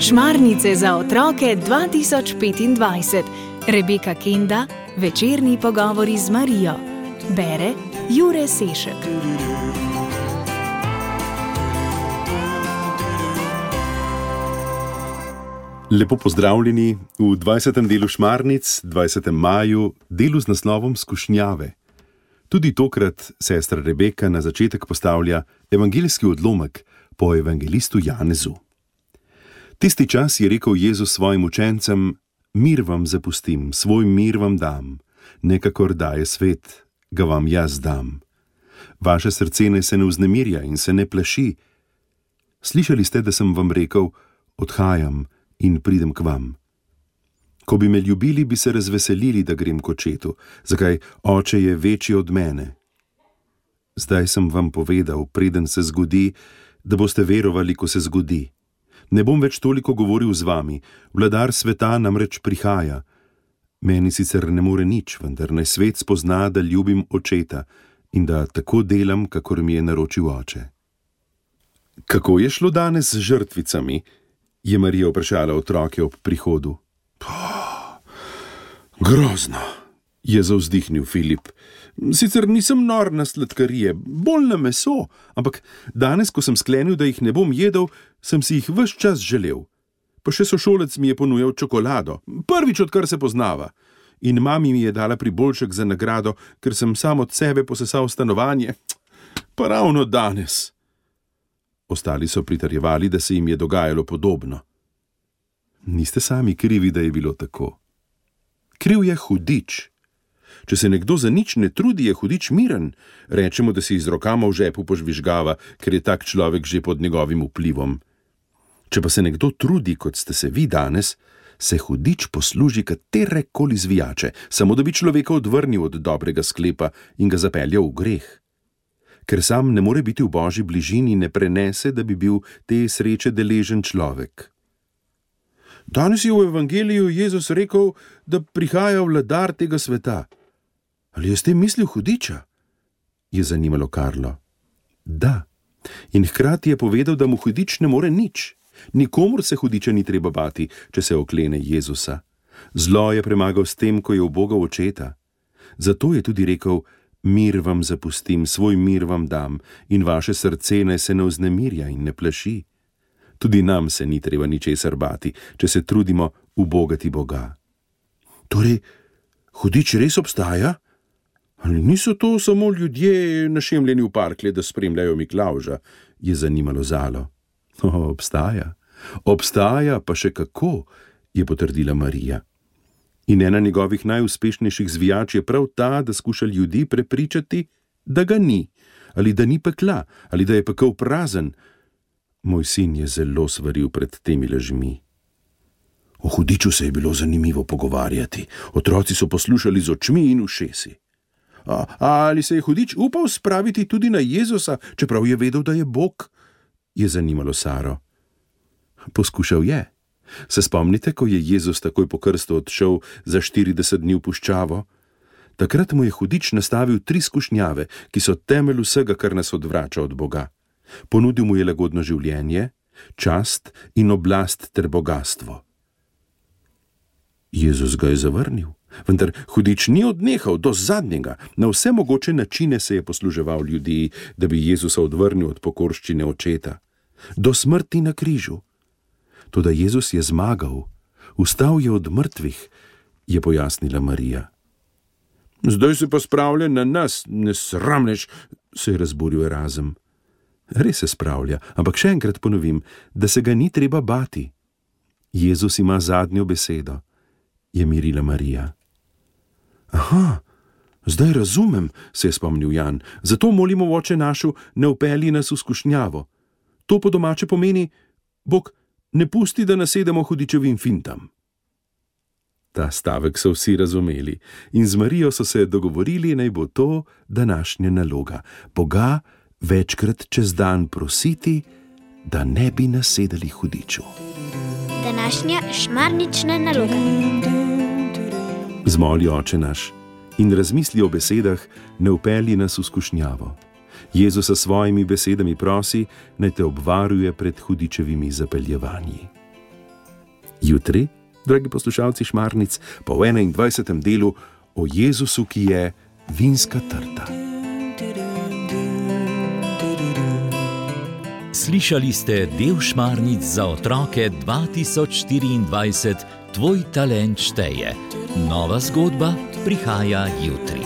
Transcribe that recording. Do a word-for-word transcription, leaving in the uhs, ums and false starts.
Šmarnice za otroke dva tisoč petindvajset. Rebeka Kenda, večerni pogovori z Marijo. Bere Jure Sešek. Lepo pozdravljeni v dvajsetem delu Šmarnic, dvajsetem maju, delu z naslovom Skušnjave. Tudi tokrat sestra Rebeka na začetek postavlja evangeljski odlomek po evangelistu Janezu. Tisti čas je rekel Jezus svojim učencem: mir vam zapustim, svoj mir vam dam, ne kakor daje svet, ga vam jaz dam. Vaše srce naj se ne vznemirja in se ne plaši. Slišali ste, da sem vam rekel: odhajam in pridem k vam. Ko bi me ljubili, bi se razveselili, da grem k očetu, zakaj oče je večji od mene. Zdaj sem vam povedal, preden se zgodi, da boste verovali, ko se zgodi. Ne bom več toliko govoril z vami, vladar sveta namreč prihaja. Meni sicer ne more nič, vendar naj svet spozna, da ljubim očeta in da tako delam, kakor mi je naročil oče. Kako je šlo danes z žrtvicami? Je Marija vprašala otroke ob prihodu. Grozno, je zavzdihnil Filip. Sicer nisem nor na sladkarije, bolj na meso, ampak danes, ko sem sklenil, da jih ne bom jedel, sem si jih ves čas želel. Pa še sošolec mi je ponujal čokolado, prvič, odkar se poznava. In mami mi je dala priboljšek za nagrado, ker sem sam od sebe posesal stanovanje. Pa ravno danes. Ostali so pritrjevali, da se jim je dogajalo podobno. Niste sami krivi, da je bilo tako. Kriv je hudič. Če se nekdo za nič ne trudi, je hudič miren. Rečemo, da si iz rokama v žepu požvižgava, ker je tak človek že pod njegovim vplivom. Če pa se nekdo trudi, kot ste se vi danes, se hudič posluži katerekoli zvijače, samo da bi človeka odvrnil od dobrega sklepa in ga zapeljal v greh. Ker sam ne more biti v Božji bližini, ne prenese, da bi bil te sreče deležen človek. Danes je v evangeliju Jezus rekel, da prihaja vladar tega sveta. Ali je s tem mislil hudiča? Je zanimalo Karlo. Da. In hkrati je povedal, da mu hudič ne more nič. Nikomur se hudiča ni treba bati, če se oklene Jezusa. Zlo je premagal s tem, ko je ubogal očeta. Zato je tudi rekel: mir vam zapustim, svoj mir vam dam, in vaše srce naj se ne vznemirja in ne plaši. Tudi nam se ni treba ničesar bati, če se trudimo ubogati Boga. Torej, hudič res obstaja? Ali niso to samo ljudje našemljeni v parklje, da spremljajo Miklavža? Je zanimalo Zalo. O, obstaja. Obstaja, pa še kako, je potrdila Marija. In ena njegovih najuspešnejših zvijač je prav ta, da skuša ljudi prepričati, da ga ni, ali da ni pekla, ali da je pekel prazen. Moj sin je zelo svaril pred temi lažmi. O hudiču se je bilo zanimivo pogovarjati. Otroci so poslušali z očmi in ušesi. A, ali se je hudič upal spraviti tudi na Jezusa, čeprav je vedel, da je Bog? Je zanimalo Saro. Poskušal je. Se spomnite, ko je Jezus takoj po krstu odšel za štirideset dni v puščavo? Takrat mu je hudič nastavil tri skušnjave, ki so temelj vsega, kar nas odvrača od Boga. Ponudil mu je lagodno življenje, čast in oblast ter bogastvo. Jezus ga je zavrnil, vendar hudič ni odnehal do zadnjega. Na vse mogoče načine se je posluževal ljudi, da bi Jezusa odvrnil od pokorščine očeta. Do smrti na križu. Toda Jezus je zmagal, vstal je od mrtvih, je pojasnila Marija. Zdaj se pa spravlja na nas, nesramnež, se je razburil Erazem. Res se spravlja, ampak še enkrat ponovim, da se ga ni treba bati. Jezus ima zadnjo besedo, je mirila Marija. Aha, zdaj razumem, se je spomnil Jan, zato molimo v Oče našu, ne vpelji nas v skušnjavo. To po domače pomeni: Bog, ne pusti, da nasedemo hudičevim fintam. Ta stavek so vsi razumeli in z Marijo so se dogovorili, naj bo to današnja naloga. Boga večkrat čez dan prositi, da ne bi nasedali hudiču. Današnja šmarnična naloga. Zmoli, Oče naš, in razmisli o besedah: ne vpelji nas v skušnjavo. Jezus s svojimi besedami prosi, naj te obvaruje pred hudičevimi zapeljevanji. Jutri, dragi poslušalci Šmarnic, pa v enaindvajsetem delu o Jezusu, ki je vinska trta. Slišali ste del Šmarnic za otroke dva tisoč štiriindvajset, Tvoj talent šteje. Nova zgodba prihaja jutri.